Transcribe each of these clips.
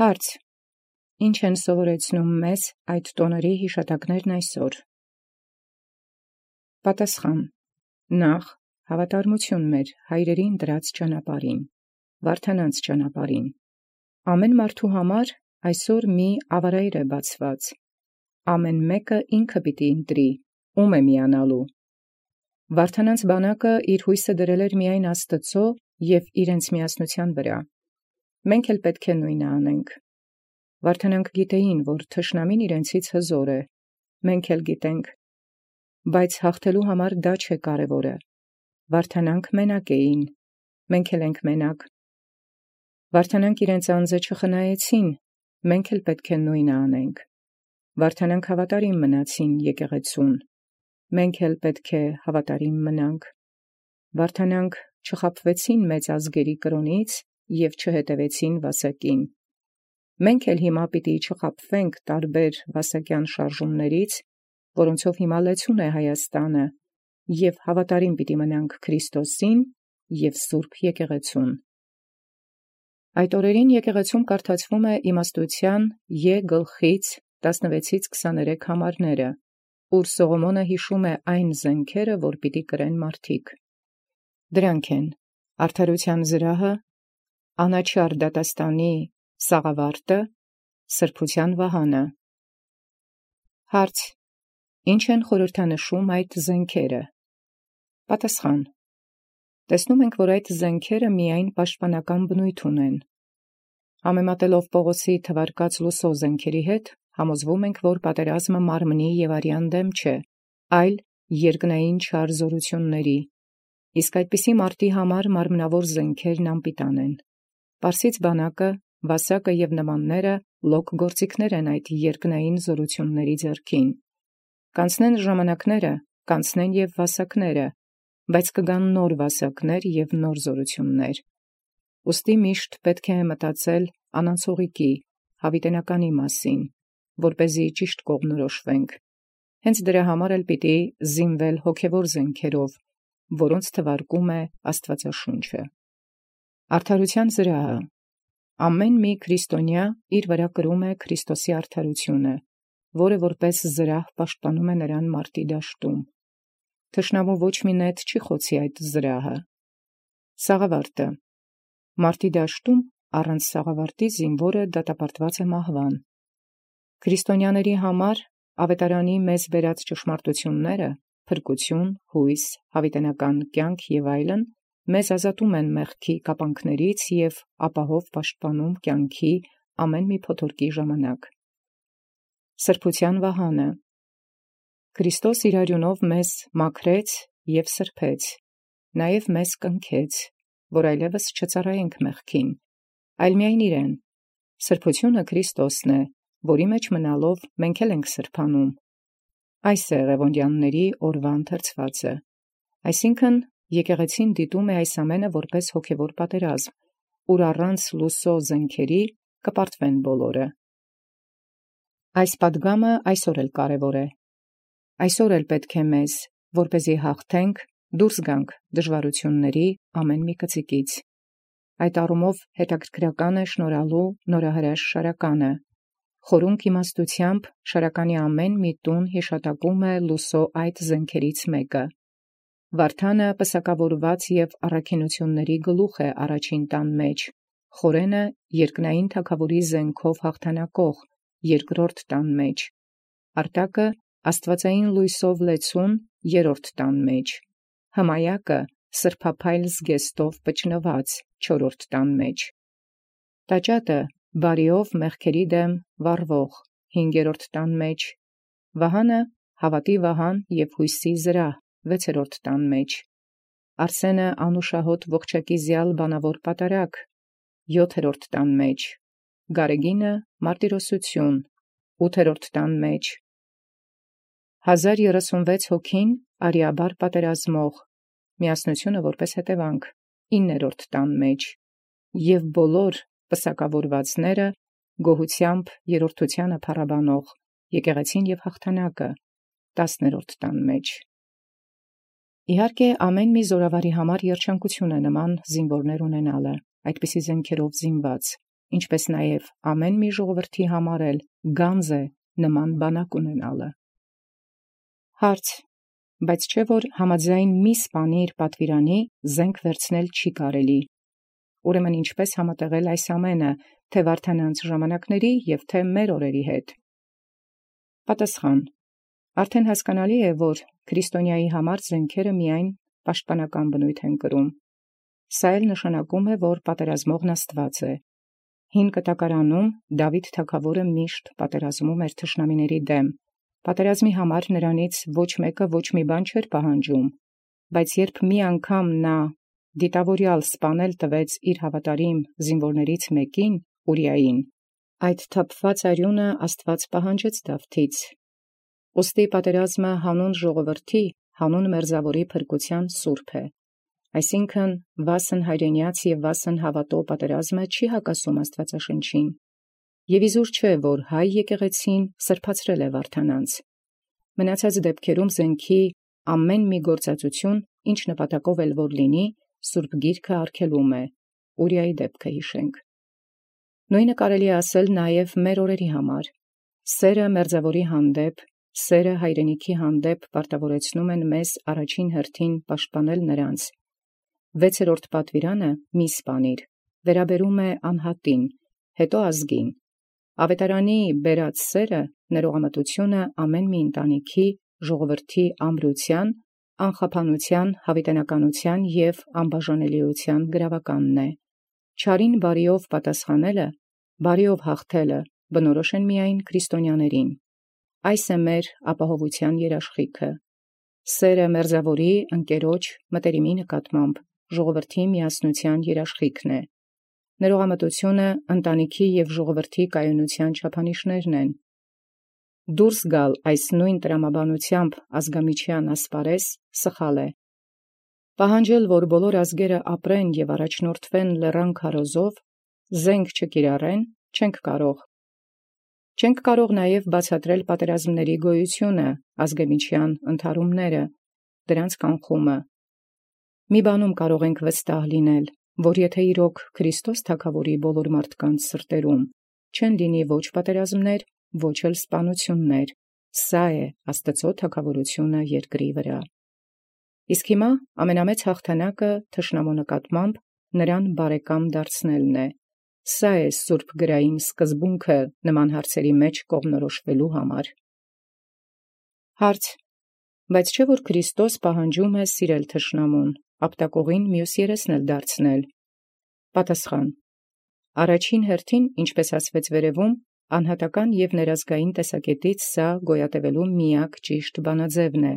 Հարց. Ինչ են սովորեցնում մեզ այդ տոների հիշատակներն այսօր։ Պատասխան. Նախ հավատարմություն մեր հայրերին դրած ճանապարհին, վարդանանց ճանապարհին։ Ամեն մարդու համար այսօր մի ավարայր է բացված։ Ամեն մեկը ինքը պիտի ընտրի, ում է միանալու։ Վարդանանց բանակը իր հույսը դրել էր միայն Աստծո և իրենց միասնության վրա։ Մենք էլ պետք է նույնը անենք։ Վարդանանք գիտեին, որ թշնամին իրենցից հզոր է, մենք էլ գիտենք, բայց հաղթելու համար դա չէ կարևորը։ Վարդանանք մենակ էին, մենք էլ ենք մենակ։ Վարդանանք իրենց անձը չխնայեցին, մենք էլ պետք է նույնը անենք։ Վարդանանք հավատարիմ մնացին եկեղեցուն, մենք էլ պետք է հավատարիմ մնանք։ Վարդանանք չխաբվեցին մեծ ազգերի կրոնից և չհետևեցին վասակին։ Մենք էլ հիմա պիտի չխաբվենք տարբեր վասակյան շարժումներից, որոնցով հիմա լեցուն է Հայաստանը, և հավատարիմ պիտի մնանք Քրիստոսին և Սուրբ եկեղեցուն։ Այդ օրերին եկեղեցում կարդացվում է իմաստության Ե գլխից 16-23 համարները, ուր Սողոմոնը հիշում է այն զենքերը, որ պիտի կրեն մարդիկ։ Դրանք են արդարության զրահը, անաչառ դատաստանի սաղավարտը, սրբության վահանը։ Հարց. Ինչ են խորհրդանշում այդ զենքերը։ Պատասխան. տեսնում ենք, որ այդ զենքերը միայն պաշտպանական բնույթ ունեն։ Համեմատելով Պողոսի թվարկած լուսո զենքերի հետ, համոզվում ենք, որ պատերազմը մարմնի և արյան դեմ չէ, այլ երկնային չար զորությունների, իսկ այդպիսի մարտի համար մարմնավոր զենքերն անպիտան են։ Պարսից բանակը, վասակը և նմանները լոկ գործիքներ են այդ երկնային զորությունների ձեռքին։ Կանցնեն ժամանակները, կանցնեն և վասակները, բայց կգան նոր վասակներ և նոր զորություններ։ Ուստի միշտ պետք է մտածել անանցողիկի, հավիտենականի մասին, որպեսզի ճիշտ կողմնորոշվենք։ Հենց դրա համար էլ պիտի զինվել հոգևոր զենքերով, որոնց թվարկում է Աստվածաշունչը։ Արդարության զրահը։ Ամեն մի քրիստոնյա իր վրա կրում է Քրիստոսի արդարությունը, որը որպես զրահ պաշտպանում է նրան մարտի դաշտում։ Թշնամու ոչ մի նետ չի խոցի այդ զրահը։ Սաղավարտը։ Մարտի դաշտում առանց սաղավարտի զինվորը դատապարտված է մահվան։ Քրիստոնյաների համար ավետարանի մեզ բերած ճշմարտությունները, փրկություն, հույս, հավիտենական կյանք և այլն, մեզ ազատում են մեղքի կապանքներից և ապահով պաշտպանում կյանքի ամեն մի փոթորկի ժամանակ։ Սրբության վահանը։ Քրիստոս իր արյունով մեզ մաքրեց և սրբեց, նաև մեզ կնքեց, որ այլևս չծառայենք մեղքին, այլ միայն իրեն։ Սրբությունը Քրիստոսն է, որի մեջ մնալով մենք էլ ենք սրբանում։ Այս է Ղևոնդյանների օրվա ընթերցվածը։ Այսինքն եկեղեցին դիտում է այս ամենը որպես հոգևոր պատերազմ, ուր առանց լուսո զենքերի կպարտվեն բոլորը։ Այս պատգամը այսօր էլ կարևոր է։ Այսօր էլ պետք է մեզ, որպեսզի հաղթենք, դուրս գանք դժվարությունների ամեն մի կծիկից։ Այդ առումով հետաքրքրական է շնորհալու նորահրաշ շարականը։ Խորունկ իմաստությամբ շարականի ամեն մի տուն հիշատակում է լուսո այդ զենքերից մեկը։ Վարդանը պսակավորված և առաքինությունների գլուխ է առաջին տան մեջ, խորենը երկնային թագավորի զենքով հաղթանակող երկրորդ տան մեջ, արտակը աստվածային լույսով լեցուն երրորդ տան մեջ, հմայակը սրբափայլ զգեստով պճնված չորրորդ տան մեջ, տաճատը բարիով մեղքերի դեմ վառվող հինգերորդ տան մեջ, վահանը հավատի վահան և հույսի զրահ վեցերորդ տան մեջ, Արսենը անուշահոտ ողջակիզյալ բանավոր պատարագ յոթերորդ տան մեջ, Գարեգինը մարտիրոսություն ութերորդ տան մեջ, 1036 հոգին արիաբար պատերազմող, միասնությունը որպես հետևանք 9-րդ տան մեջ, և բոլոր պսակավորվածները գոհությամբ երրորդությանը փառաբանող եկեղեցին և հաղթանակը 10-րդ տան մեջ։ Իհարկե ամեն մի զորավարի համար երջանկություն է նման զինվորներ ունենալը, այդպիսի զենքերով զինված, ինչպես նաև ամեն մի ժողովրդի համար էլ գանձ է նման բանակ ունենալը։ Հարց. բայց չէ՞ որ համաձայն մի սպանիր պատվիրանի զենք վերցնել չի կարելի։ Ուրեմն ինչպես համատեղել այս ամենը, թե վարդանանց ժամանակների և թե մեր օրերի հետ։ Պատասխան. արդեն հասկանալի է, որ քրիստոնյայի համար զենքերը միայն պաշտպանական բնույթ են կրում։ Սա էլ նշանակում է, որ պատերազմողն Աստված է։ Հին կտակարանում Դավիթ թագավորը միշտ պատերազմում էր թշնամիների դեմ։ Պատերազմի համար նրանից ոչ մեկը ոչ մի բան չէր պահանջում, բայց երբ մի անգամ նա դիտավորյալ սպանել տվեց իր հավատարիմ զինվորներից մեկին, Ուրիային, այդ թափված արյունը Աստված պահանջեց Դավթից։ Ուստի պատերազմը հանուն ժողովրդի, հանուն մերձավորի փրկության սուրբ է։ Այսինքն վասն հայրենյաց և վասն հավատո պատերազմը չի հակասում Աստվածաշնչին։ Եվ իզուր չէ, որ հայ եկեղեցին սրբացրել է վարդանանց։ Մնացած դեպքերում զենքի ամեն մի գործածություն, ինչ նպատակով էլ որ լինի, Սուրբ Գիրքը արգելում է։ Ուրիայի դեպքը հիշենք։ Նույնը կարելի է ասել նաև մեր օրերի համար։ Սերը մերձավորի հանդեպ, սերը հայրենիքի հանդեպ պարտավորեցնում են մեզ առաջին հերթին պաշտպանել նրանց։ 6-րդ պատվիրանը՝ մի սպանիր, վերաբերում է անհատին, հետո ազգին։ Ավետարանի բերած սերը, ներողամտությունը ամեն մի ընտանիքի, ժողովրդի ամրության, անխափանության, հավիտենականության և անբաժանելիության գրավականն է։ Չարին բարիով պատասխանելը, բարիով հաղթելը բնորոշ են միայն քրիստոնյաներին։ Այս է մեր ապահովության երաշխիքը։ Սերը մերձավորի, ընկերոջ, մտերիմի նկատմամբ ժողովրդի միասնության երաշխիքն է։ Ներողամտությունը ընտանիքի և ժողովրդի կայունության չափանիշներն են։ Դուրս գալ այս նույն տրամաբանությամբ ազգամիչյան ասպարեզ սխալ է։ Պահանջել, որ բոլոր ազգերը ապրեն և առաջնորդվեն լեռան քարոզով, զենք չկիրառեն, չենք կարող։ Չենք կարող նաև բացատրել պատերազմների գոյությունը, ազգամիչյան ընդհարումները, դրանց կանխումը։ Մի բանում կարող ենք վստահ լինել, որ եթե իրոք Քրիստոս թագավորի բոլոր մարդկանց սրտերում, չեն լինի ոչ պատերազմներ, ոչ էլ սպանություններ, սա է Աստծո թագավորությունը երկրի վրա։ Իսկ հիմա ամենամեծ հաղթանակը թշնամու նկատմամբ նրան բարեկամ դարձնելն է։ Սա է սուրբ գրային սկզբունքը նման հարցերի մեջ կողմնորոշվելու համար։ Հարց. բայց չէ՞ որ Քրիստոս պահանջում է սիրել թշնամուն, ապտակողին մյուս երեսն էլ դարձնել։ Պատասխան. առաջին հերթին, ինչպես ասվեց վերևում, անհատական և ներազգային տեսակետից սա գոյատևելու միակ ճիշտ բանաձևն է,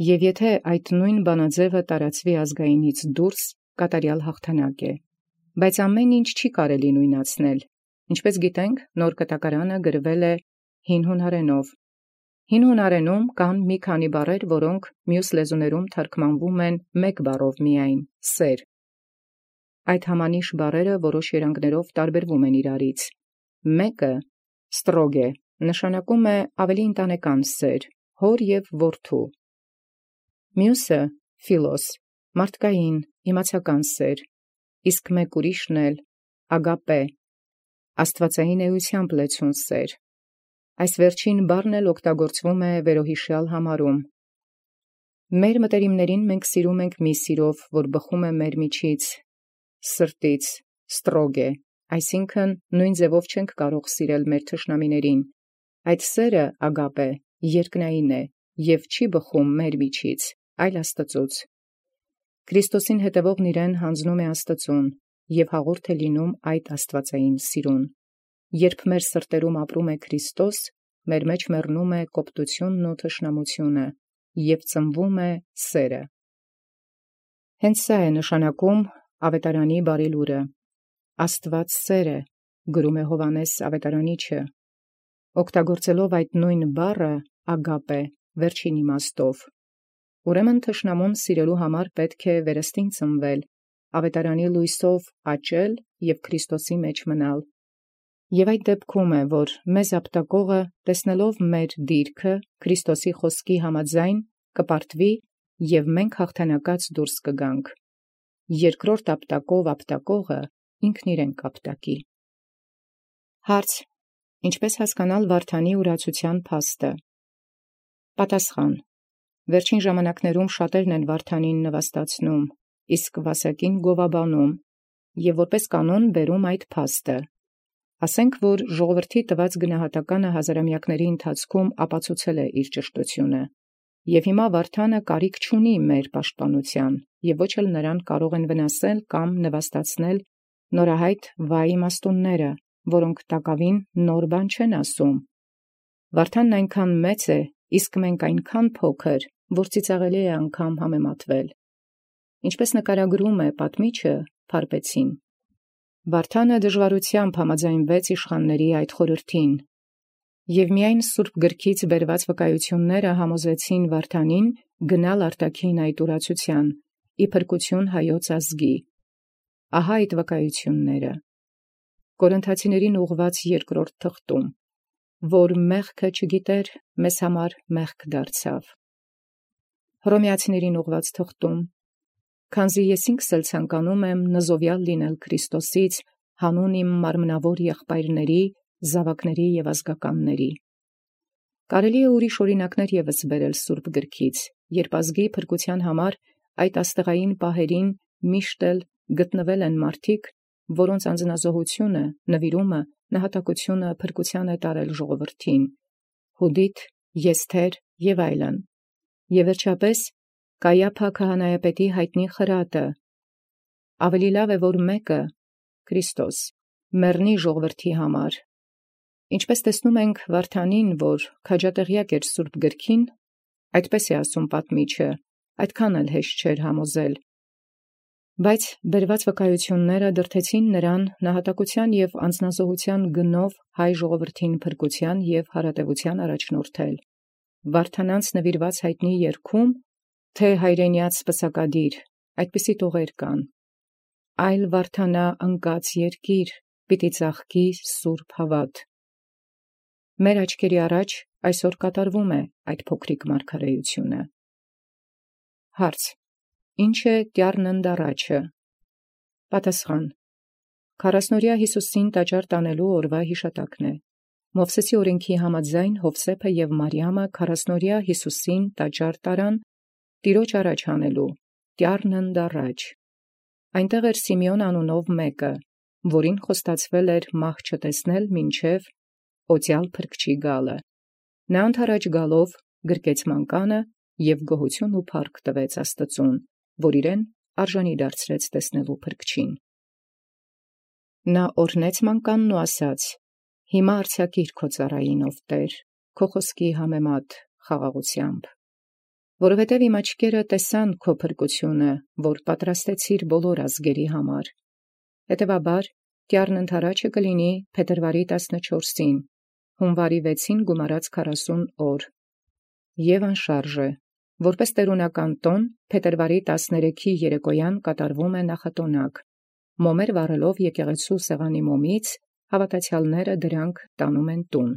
և եթե այդ նույն բանաձևը տարածվի ազգայինից դուրս, կատարյալ հաղթանակ է։ Բայց ամեն ինչ չի կարելի նույնացնել։ Ինչպես գիտենք, նոր կտակարանը գրվել է հին հունարենով։ Հին հունարենում կան մի քանի բառեր, որոնք մյուս լեզուներում թարգմանվում են մեկ բառով միայն՝ սեր։ Այդ համանիշ բառերը որոշ երանգներով տարբերվում են իրարից։ Մեկը ստրոգե նշանակում է ավելի ընտանեկան սեր, հոր և որդու։ Մյուսը ֆիլոս մարդկային, իմացական սեր, իսկ մեկ ուրիշն էլ ագապե աստվածային էությամբ լեցուն սեր։ Այս վերջին բառն էլ օգտագործվում է վերոհիշյալ համարում։ Մեր մտերիմներին մենք սիրում ենք մի սիրով, որ բխում է մեր միջից, սրտից, ստրոգե, այսինքն նույն ձևով չենք կարող սիրել մեր թշնամիներին։ Այդ սերը ագապե երկնային է և չի բխում մեր միջից, այլ Աստծուց։ Քրիստոսին հետևողն իրեն հանձնում է Աստծուն և հաղորդ է լինում այդ աստվածային սիրուն։ Երբ մեր սրտերում ապրում է Քրիստոս, մեր մեջ մեռնում է կոպտությունն ու թշնամությունը և ծնվում է սերը։ Հենց սա է նշանակում ավետարանի բարի լուրը։ Աստված սեր է, գրում է Հովհաննես ավետարանիչը, օգտագործելով այդ նույն բառը ագապե վերջին իմաստով։ Ուրեմն թշնամուն սիրելու համար պետք է վերստին ծնվել, ավետարանի լույսով աճել և Քրիստոսի մեջ մնալ։ Եվ այդ դեպքում է, որ մեզ ապտակողը, տեսնելով մեր դիրքը, Քրիստոսի խոսքի համաձայն կպարտվի և մենք հաղթանակած դուրս կգանք։ Երկրորդ ապտակով ապտակողը ինքն իրեն կապտակի։ Հարց. Ինչպես հասկանալ Վարդանի ուրացության փաստը։ Պատասխան. Վերջին ժամանակներում շատերն են Վարդանին նվաստացնում, իսկ Վասակին գովաբանում, եւ որպես կանոն բերում այդ փաստը։ Ասենք, որ ժողովրդի տված գնահատականը հազարամյակների ընթացքում ապացուցել է իր ճշտությունը, եւ հիմա Վարդանը կարիք չունի մեր պաշտպանության, եւ ոչ էլ նրան կարող են վնասել կամ նվաստացնել նորահայտ վայի իմաստունները, որոնք տակավին նոր բան չեն ասում։ Վարդանն այնքան մեծ է, իսկ մենք այնքան փոքր, որ ծիծաղելի է անգամ համեմատվել։ Ինչպես նկարագրում է պատմիչը, փարպեցին։ Վարդանը դժվարությամբ համաձայնվեց իշխանների այդ խորհրդին, եւ միայն Սուրբ գրքից բերված վկայությունները համոզեցին Վարդանին գնալ արտաքին այդ ուրացության, ի փրկություն հայոց ազգի։ Ահա այդ վկայությունները. Կորինթացիներին ուղված 2-րդ թղթում, որ մեղքը չգիտեր, մեզ համար մեղք դարձավ։ Հռոմեացիներին ուղված թղթում, քանզի ես ինքս էլ ցանկանում եմ նզովյալ լինել Քրիստոսից հանուն իմ մարմնավոր եղբայրների, զավակների եւ ազգականների։ Կարելի է ուրիշ օրինակներ եւս բերել Սուրբ գրքից, երբ ազգի փրկության համար այդ աստղային պահերին միշտ էլ գտնվել են մարդիկ, որոնց անձնազոհությունը, նվիրումը, նահատակությունը փրկության է տարել ժողովրդին, Հուդիթ, Եսթեր եւ այլն։ Եվ վերջապես Կայափա քահանայապետի հայտնի խրատը. ավելի լավ է, որ մեկը, Քրիստոս, մեռնի ժողովրդի համար։ Ինչպես տեսնում ենք Վարդանին, որ քաջատեղյակ էր Սուրբ գրքին, այդպես է ասում պատմիչը, այդքան էլ հեշտ չէր համոզել։ Բայց բերված վկայությունները դրդեցին նրան նահատակության եւ անձնազոհության գնով հայ ժողովրդին փրկության եւ հարատեւության առաջնորդել։ Վարդանանց նվիրված հայտնի երգում, թե հայրենյաց պսակադիր, այդպիսի տողեր կան. այլ Վարդանա ընկած երկիր, պիտի ծաղկի սուրբ հավատ։ Մեր աչքերի առաջ այսօր կատարվում է այդ փոքրիկ մարգարեությունը։ Հարց. Ինչ է տյառնընդառաջը։ Պատասխան. 40-օրյա Հիսուսին տաճար տանելու օրվա հիշատակն է։ Մովսեսի օրենքի համաձայն Հովսեփը եւ Մարիամը 40-օրյա Հիսուսին տաճար տարան Տիրոջ առաջ հանելու, տյառնընդառաջ։ Այնտեղ էր Սիմեոն անունով մեկը, որին խոստացվել էր մահ չտեսնել մինչև օծյալ փրկչի գալը։ Նա ընդառաջ գալով գրկեց մանկանը եւ գոհություն ու փառք տվեց Աստծուն, որ իրեն արժանի դարձրեց տեսնելու փրկչին։ Նա օրհնեց մանկանն ու ասաց. «Հիմա արձակիր քո ծառային ով Տեր, քո խոսքի համեմատ խաղաղությամբ, որովհետև իմ աչքերը տեսան քո փրկությունը, որ պատրաստեցիր բոլոր ազգերի համար։ Հետևաբար տյառնընդառաջը կլինի փետրվարի 14-ին, հունվարի 6-ին գումարած 40 օր, եւ անշարժ է, որպես տերունական տոն փետրվարի 13-ի երեկոյան կատարվում է նախատոնակ, մոմեր վառելով եկեղեցու սեղանի մոմից, հավատացյալները դրանք տանում են տուն։